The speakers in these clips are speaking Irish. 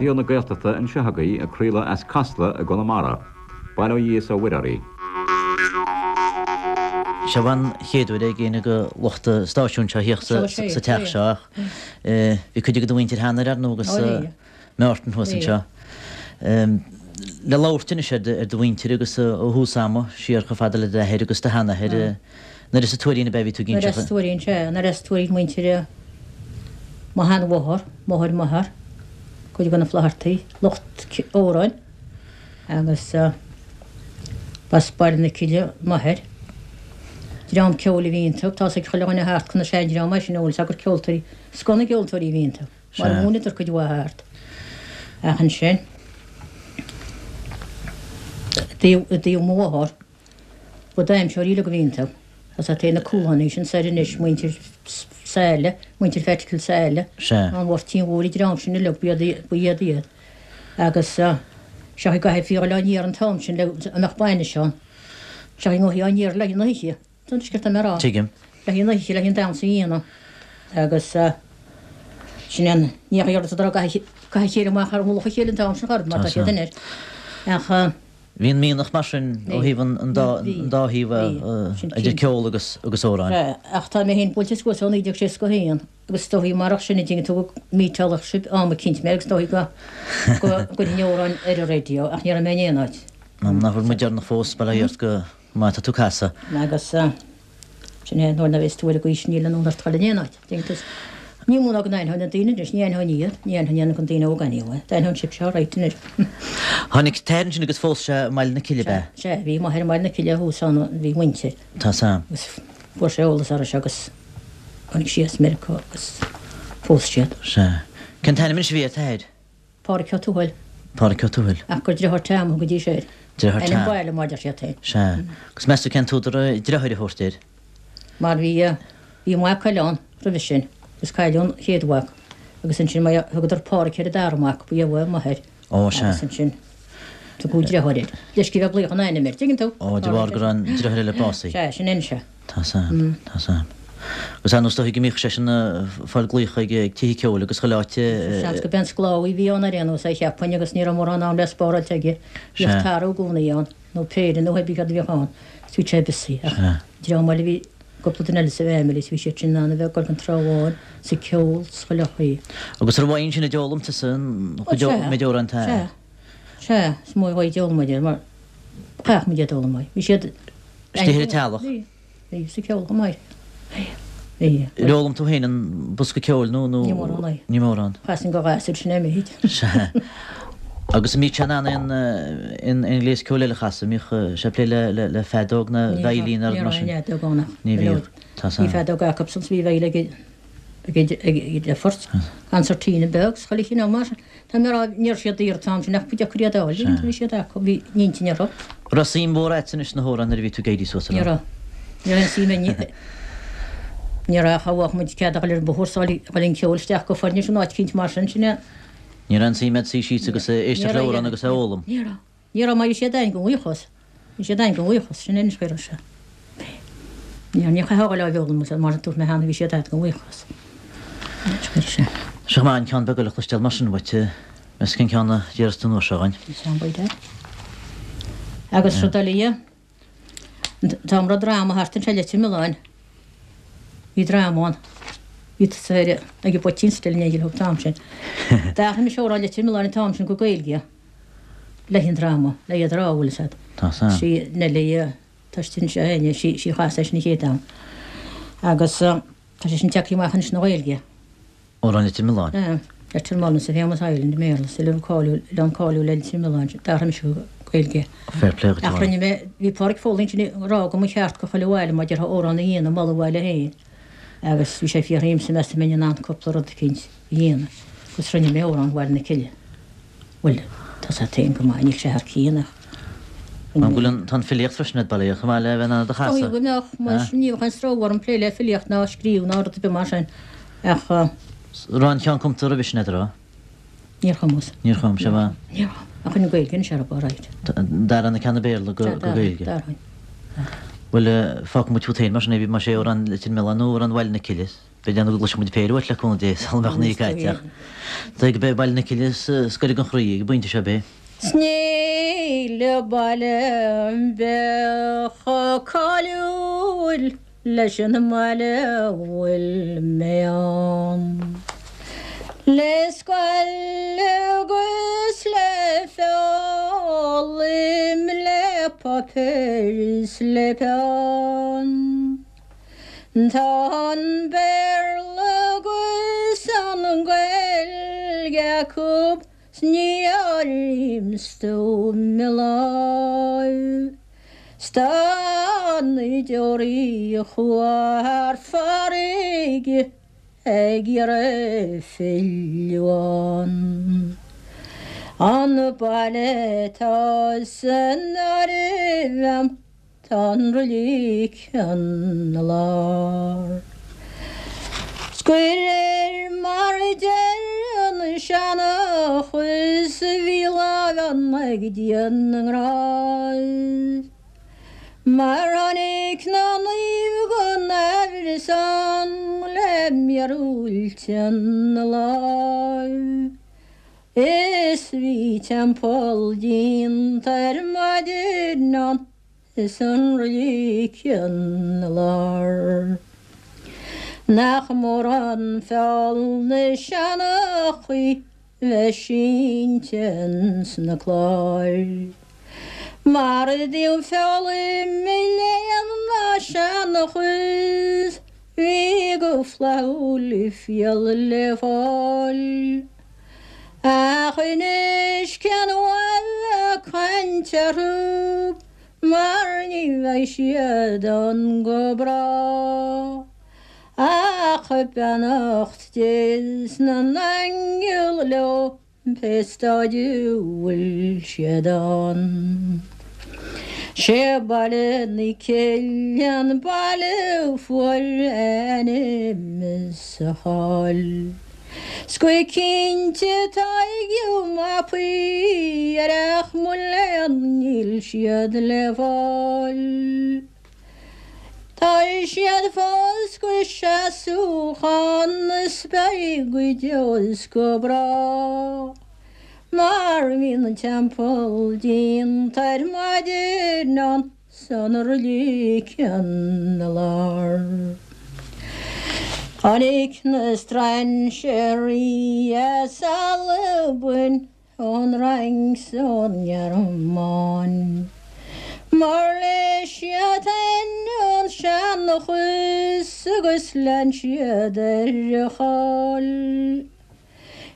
Raidió na Gaeltachta anseo agaibh ag craoladh as Casla i gConamara. Bail ó Dhia is ó Mhuire oraibh. Seo an chéad uair ag éinne de lucht an stáisiúin seo a theacht sa teach seo ach bhí cuid de do mhuintir cheana ar ndóigh agus Mártan thuas anseo. Le labhairt anois ar do mhuintir agus ó thús ama, siar chomh fada le d'athair agus do sheanathair, nuair as an Tuairín ab ea a bhí tú ag inseacht? Nuair as Tuairín, sea. Nuair as Tuairín muintir mo sheanmháthar, máthair m'athar, cuid de na Flaitheartaigh, lucht amhráin agus b'as Baile na Cille m'athair. Dream ceoil a bhí iontu, tá's ag chuile dhuine thart conas seandream é sin, eolas gur ceoltóirí, scoth na gceoltóirí a bhí iontu. Mar a mhúineadar cuid mhaith thart. Ach ansin, i dtaobh mo mháthar, ba damhsóirí uilig a bhí iontu. As a taobh na Cúlánaigh sin soir anois, muintir Saile, muintir Pheaits Saile, an Mháirtín Mhóir, an dream sin uilig, ba iad iad. Agus seo i gcaithfí a dhul á n-iarraidh an t-am sin le go mbeadh bainis ann. Seo i ngothaí á n-iarraidh le haghaidh na hoíche. Tá an sciorta mé a rá. Tuigim. Le haghaidh an oíche, le haghaidh an damhsa a dhéanamh. Agus sin an ní a dhéarfadh tú gach a chéile amach ar mhullach a chéile an t-am sin chor, mar tá siad anois. Ach. Bhí an mianach mar sin ó thaobh an dá thaobh idir ceol agus agus amhráin. Sea, ach tá mé féin buailte suas ó 1961 agus is dóichí marach sin a dtuigeann tú go míteálfadh sibh am eicínt mé agus is dóichí go gcuirfinn amhráin ar an raidió ach ní raibh mé in aon áit. Nach bhfuil muid deireanach fós, bail ó Dhia ort go Má tá tú casadh. Agus sin é, nuair a bhéas tú ar an gcaoi sin níl an fhonn ort dul in aon áit. Déanfaidh tú. Ní mó ná go n-aithneoidh na daoine anois, ní aithneoinn iad, ní aithneoinn na daoine óga anyway. D'aithneoinn sibhse alright anois. Tháinig t'athair ansin agus phós sé i mBaile na Cille, ab ea? Sea, bhí m'athair i mBaile na Cille thuas ann, bhí muintir. Tá 's a'm. Agus fuair sé eolas orthu seo agus tháinig sí as Meiriceá agus phós siad. Sea. Cén t-ainm anois a bhí ar t'athair? Pádraic Ó Tuathail. Pádraic Ó Tuathail. Ach gur driotháir Tom a thugaidís air. Driotháir Tom. Ainm baile mar deir siad féin. Sea. Agus meas tú cén t-údar driotháir a thabhairt air? Mar bhí, bhí mac eile ann roimhe sin agus cailleadh an chéad mhac agus ansin mar thugadar Pádraic ar an dara mac, ba é m'athair. Ó, sea. Agus ansin tugadh driotháir air. Leis go bheadh glaoch an ainm air, tuigeann tú? Ó, de bharr go raibh an driotháir eile básaithe. Sea, sin é anois é. Tá 's a'm, tá 's a'm. Agus ar ndóigh is dóichí go mbíodh seisean ag fáil glaoch ag tithe ceoil agus chuile áit. Seans go b'é an sclábhaí a bhí ann ar aon nós, é cheapfainn, agus ní raibh mórán am le spáráilt aige. Bhíodh tarbh i gcónaí ann, nó péire nó hébrí cad a bhíodh ann, is bhí sé busy. Ach dream eile bhí cúpla duine eile sa bhfamily is bhí siad sin in ann a bheith ag dul chun Trá Bháin, sa ceol, 's chuile chaoi. Agus an raibh uaidh ansin a d'fhoghlaim tusa an chuid méid amhrán atá. Sea, sea, is mó uaidh a d'fhoghlaim muid iad mar chaithfeadh muid iad a fhoghlaim uaidh. Bhí siad. Istigh ar an teallach. Bhí. Bhí sa ceol chomh maith. Bhí. Bhí. Ar fhoghlaim tú féin an bosca ceoil nó nó. Ní mórán é. Ní mórán. Chasainn do ghasúir sin é méid. Sea. Agus an mbíodh sé in ann aon aon aon ghléas ceoil eile a chasadh? An mbíodh sé ag plé le le le feadóg nó veidhlín nó rud mar sin? Ní raibh aon fheadóg ann ach. Ní bhíodh. Tá Bhí feadóg acu san 's bhí veidhlín ag ag ag ag le fort. Concertina beag 's chuile chineál mar sin. Tá mé a rá, ní raibh siad daor an t-am sin ach ba deacair iad a fháil, bhí siad acu, bhí an-intinn orthu. An raibh suim mhór agat anois sna hamhráin nuair a bhí tú ag éirí suas, an raibh? Ní raibh. Ní raibh aon suim ag, ní raibh ach bheadh muid cead a dhul ar an bóthar 's a dhul an ceol isteach go foirne sin áit eicínt mar sin, sin é. Ní raibh aon suim agat suí síos agus éisteacht le hamhrán agus é a fhoghlaim? Ní raibh. Ní raibh mar bhí siad a'inn go bhuíochas. Bhí siad a'inn go bhuíochas, sin é anois chuir sé. Ní raibh, ní chaithfeá a dhul á bhfoghlaim agus mar a dúirt mé cheana bhí siad a'd go bhuíochas. Anois chuir sé. Seo maith an ceann beag eile a chloisteáil mar sin uait, meas cén ceann a déarfas tú an uair seo againn. Is ann b'fhéidir. Agus rud eile dhe, an t-am a raibh dráma thart anseo i Leitir Mealláin, bhí dráma ann, bhí tusa ar ag an bpoitín still in éindí leo an t-am sin. D'athraigh mise amhrán Leitir Mealláin an t-am sin go Gaeilge. Le haghaidh an dráma, le iad a rá, bhfuil fhios a'd. Tá 's a'm. Sí Neilí tá sí anseo fhéin, sí sí chas é sin an chéad am. Agus tá sé sin tagtha amach anois na Ghaeilge. Amhrán Leitir Mealláin. Ea. Leitir Mealláin is a famous island i mBéarla, is oileán cáiliúil, oileán cáiliúil é Leitir Mealláin, d'athraigh mise go Gaeilge. Fair play dhuit, Ach rinne mé, bhí Páraic Foley ansin ag rá go mba cheart go chuile bhaile mar déarfá amhrán a dhéanamh, moladh a bhaile féin. Agus bhí sé ag fiafraí dhíomsa meas tú an mbeinn in ann cúpla rud eicínt a dhéanamh. Agus rinne mé amhrán Bhaile na Cille. Bhuel, tá 's a'd féin go maith, níl sé thar cionn ach. An bhfuil an, tá an filíocht freisin a'd, bail ó Dhia, chomh maith le bheith in ann iad a chasadh? Is dóigh go mbeadh, mar ní bheadh aon stró orm plé le filíocht ná scríobh ná rud ar bith mar sin ach. Raibh an ceann cumta roimhe sin a'd, an raibh? Níor chumas. Níor chum, sea mhaith. Níor chum. Ach an Gaeilge anois ar alright. D'athraigh na ceanna Béarla go Gaeilge. D'athraigh. Bhuel, fágfaidh muid fút féin mar sin é, más é amhrán Leitir Mealláin nó amhrán Bhaile na Cille. Beidh déanamh go gcloisfidh muid péire uait le cúnamh Dé sula mbeadh an oíche caite ach dóigh go beidh Baile na Cille is gaire don chroí ag an bpointe seo, ab é? 'S níl baile ar bith chomh cáiliúil leis an mbaile a bhfuil mé ann. Le scoil agus le foghlaim, le páipéar is le peann. Tá an Béarla agus an Ghaeilge acu 's ní áirím stuaim i láimh. 'S tá na deoraí a chuaigh thar farraige ag iarraidh filleadh ann. An baile atá san áireamh a'm Tá an roilig ina lár. 'S de réir mar a deir an seanchas bhí láimh ann ag Dia na nGrást. Mar tháinig na naoimh gan aimhreas ann le míorúilt ina láimh. Is bhí teampall déanta ar maidin ann is an roilig ina lár. Nach mór an feall na seanchaí bheith sínte ins na cláir. Mar i dtaobh foghlaim léann ná seanchas bhí go flaithiúil fial le fáil. Ach anois cén mhaith bheith ag caint orthu mar ní bheidh siad ann go bráth. Ach beannacht Dé 's na n-aingeal leo pé staid a bhfuil siad ann. Sé Baile na Cille an baile a fuair a ainm is a cháil. 'S go cinnte tá mapaí air ach mo léan níl siad le fáil. Tá siad fós go seasamh ann is beidh go deo is go bráth. Mar bhí an teampall déanta ar maidin ann. 'S an roilig ina lár. Tháinig na strainséirí as Albain, ón Fhrainc 's ón nGearmáin. Mar léigh siad féin an seanchas agus lean siad ar a cháil.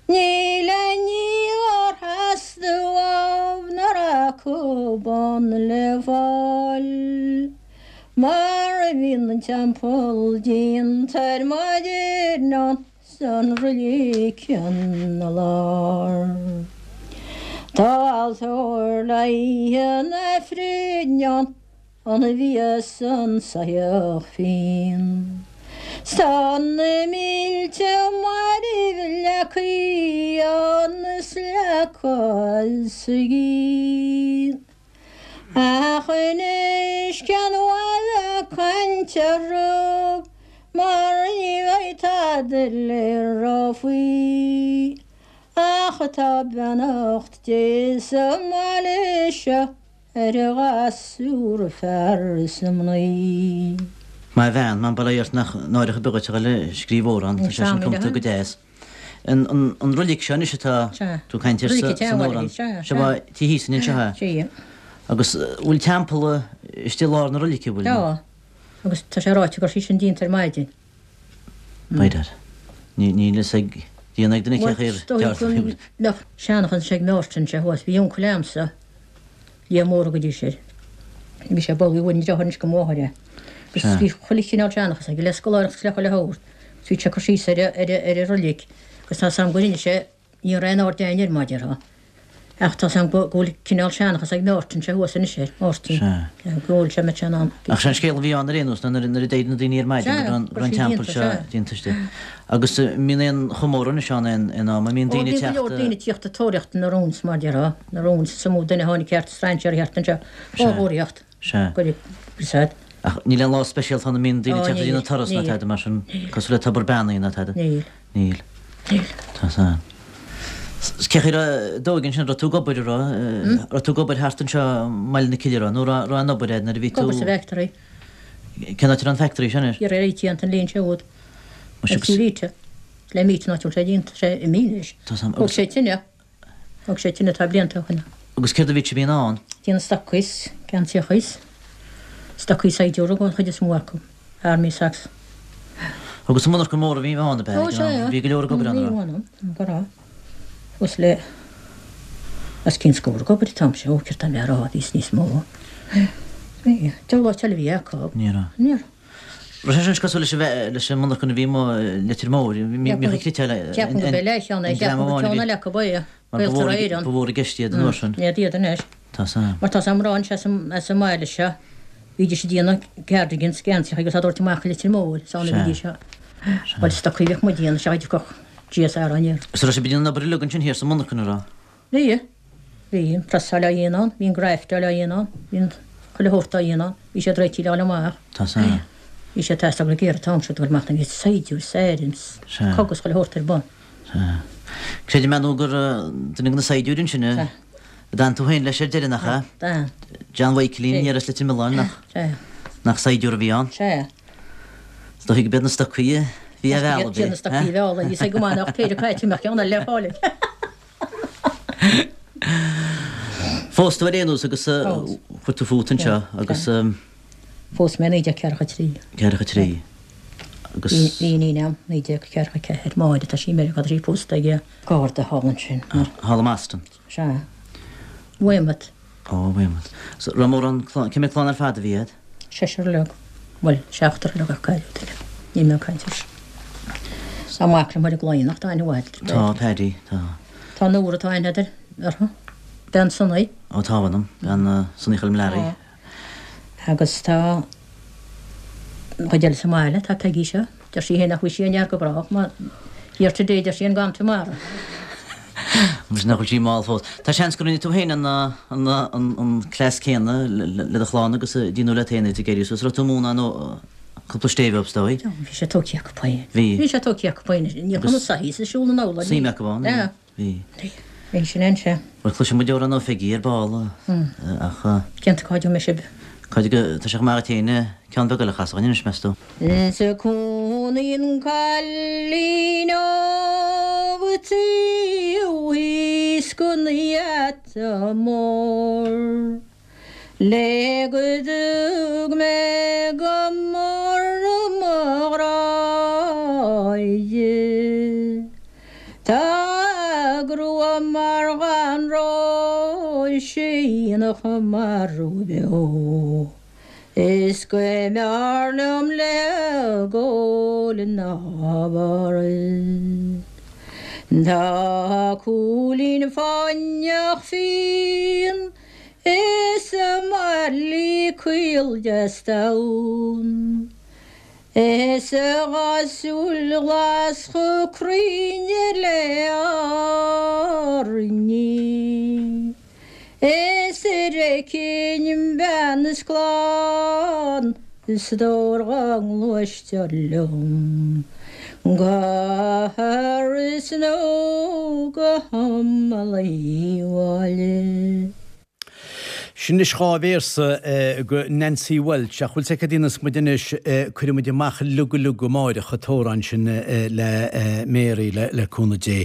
Níl aon ní dhár theastaigh uaibh nach raibh acu ann le fáil. Mar a bhí an teampall déanta ar maidin ann 's an roilig ina lár. Tá altóir le hoíche an Aifrinn ann Ann a bhíos an soitheach fíon. 'S tá na mílte mairbh leagtha ann is leagtha as a gcinn. Ach anois cén mhaith bheith ag caint orthu mar ní bheidh tada le rá faoi. Ach tá beannacht Dé sa mbaile seo. Ar a ghasúr fear is a mnaoi. Maith bhean, man bail ó Dhia ort nach náireach ar bith dhuit a dhul ag scríobh amhrán, tá sé sin cumta go deas. An roilig seo anois atá tú ag caint air san amhrán, seo ba tí thíos anseo é. Agus bhfuil teampall istigh i lár na roilice, bhfuil? Tá, agus tá sé ráite go raibh sí sin déanta ar maidin. By dad. Níl fhios ag Dia ná ag duine cé chaoi ar Bhuel, is dóigh go mbeadh seanchas ag Mártan sé thuas. Bhí uncail a'msa, Liam Mór a thugaidís air. Bhí sé ball, bhí an deartháir anois go máthair é. Agus bhí chuile chineál seanchas aige, le scoláireacht agus le chuile shórt. Agus bhí sé ag cur síos ar ar an roilig agus tá 's a'm go rinne sé Ní raibh aon aird againn air, mar a déarfá. Ach tá's a'm go bhfuil cineál seanchas ag Máirtín sé thuas anois air, Máirtín. Sea. Go bhfuil sé, mbeadh sé in ann. Ach sé an scéal a bhí ann ar aon nós ná nuair a d'éirigh na daoine ar maidin go raibh an teampall seo déanta istigh. Agus an mbíonn aon chomóradh anois ann aon aon am, an mbíonn daoine ag teacht? Ó bhíonn go leor daoine ag tíocht ag tóraíocht na rounds, mar a déarfá, na rounds, is iomaí duine a tháinig thart, strainséirí thart anseo, á thóraíocht. Sea. Go bhfuil fhios a'd. Ach níl aon lá speisialta ann a mbíonn daoine ag teacht ag déanamh turas ná tada mar sin, cosúil le tobar beannaithe ná tada? Níl. Níl. Níl. Tá san. Cén chaoi a raibh d'óige ansin, raibh tú ag obair, an raibh? Raibh tú ag obair thart anseo i mBaile na Cille, raibh? Nó raibh aon obair a'd nuair a bhí tú. Ag obair sa bhfactory. Cén áit a raibh an factory sin anois? Ar Rite an líon siúd. Muise Rite. Le mít an áit a bhfuil sé déanta, sé imithe anois. Tá san. Thóg sé tine. Thóg sé tine tá blianta ó shin. Agus céard a bhí sibh ann? Déanamh stocaí, geansaíochaí, stocaí saighdiúra den chuid is mó acu, army socks. Agus an monarcha mór a bhí ann ab ea? Ó sea. Bhí go leor ag obair ann, an raibh? Bhí ann, go raibh. Suas le os cionn scór ag obair an t-am seo, ó céard tá mé a rá, bhí níos mó. Bhí. Diabhal áit eile a bhí acu. Ní raibh. Ní raibh. Raibh sé sin cosúil leis an leis an monarcha a bhí amuigh i Leitir Móir, bhíodh ag criotáil Ceapaim gurb é leathcheann é, ceapaim gur ceann eile acu é, Mar ba Gaeltarra mhór Éireann. ba mhór i gceist iad an uair sin. Ní iad anois. Tá san. Mar tá san mná anseo as an as an mbaile seo, bhídís ag déanamh cardigans, geansaíocha agus á dtabhairt amach i Leitir Móir, is ann a bhídís á Bhuel stocaí a bhíodh muid a dhéanamh, sea dtiocfadh GSR aniar. Is raibh sibh ag déanamh an obair uilig ansin thiar sa monarcha, an raibh? Bhí. Bhí an preasáil á dhéanamh ann, bhí an graftáil á dhéanamh ann, bhí an chuile shórt á dhéanamh ann, bhí siad réitithe le dhul amach. Tá san. Bhí sé ag teastáil go géar an t-am seo dul amach, bhí saighdiúir, sairm, cogadh is chuile shórt ar bun. Sea. Creidim ar ndóigh gur duine de na saighdiúirí ansin a d'fhan tú féin leis ar deireadh, nach ea? D'fhan. John Mhaidhcilín aniar as Leitir Mealláin, nach? Sea. Nach saighdiúir a bhí ann? Sea. Is dóichí go b'iad na stocaí a bhí á mhealladh, b'é? B'iad na stocaí a mhealladh, bhí sé go maith nach péire caite mbeadh ceann eile le fáil aige. Phós tú ar aon nós agus chuir tú fút anseo agus. Phós mé 1943. 43. Agus. Bhí iníon a'm 1944, Máire, tá sí i Meiriceá, tá sí pósta ag Garda thall ansin. Thall i mBoston. Sea. Weymouth. Ó, Weymouth. So, raibh mórán clann, cé mhéad clann ar fad a bhí a'd? Seisear uilig. Bhuel, seachtar uilig ach cailleadh duine. Níl mé ag caint air. Tá mac liom thoir i gCloich, tá aithne mhaith agat air. Tá, Paddy, tá. Tá Nóra, tá aithne agat uirthi. Bean Sonny. Ó, tá, mh'anam. Bean Sonny Choilm Learaí. Tá. Agus tá an chuid eile sa mbaile, tá Peggy seo. Deir sí féin nach bhfuil sí aniar go brách mar here today deir sí and gone tomorrow. Muise nach bhfuil sí mall fós. Tá seans go rinne tú féin an an cleas céanna le do chlann agus a déanadh leat féin ag éirí suas. Raibh tú ag múineadh nó cúpla stéibh dóibh is dóigh? Bhí sé tógtha acu féin. Bhí. Bhí sé tógtha acu féin. Níor chuma saithí sa siúl an amhlaidh. Suim acu ann. Bhí. Bhí sin ann, sea. Bhuel, cloisfidh muid amhrán ó Pheigí ar ball, ach. Cinnte, cá dtiocfaidh mé sibh? Cá dtig, tá sé chomh maith agat féin ceann beag eile a chasadh dhúinn anois, meas tú? Is cónaíonn cailín óg taobh thíos den gheata mór. Le go dtug mé go mór mo ghrá di. Tá a grua mar dhath an róis síneach mar bheo. Is go mb'fhearr liom léi gol ná barra. Tá a cúilín fáinneach fíon Is a mairlí caol deas donn, Is a dhá súil ghlas chomh cruinn le hArainn. Is ar fheicfinn bean is clann is stór dhá ngluaistear liom go hÁras nó go hImeall an bhaile. Sin anois 2 véarsa go Nancy Walsh, ach bhfuil 's agat cad a dhéanfas muid anois, cuirfidh muid amach uilig uilig amáireach an t-amhrán sin le Mary le cúnamh Dé.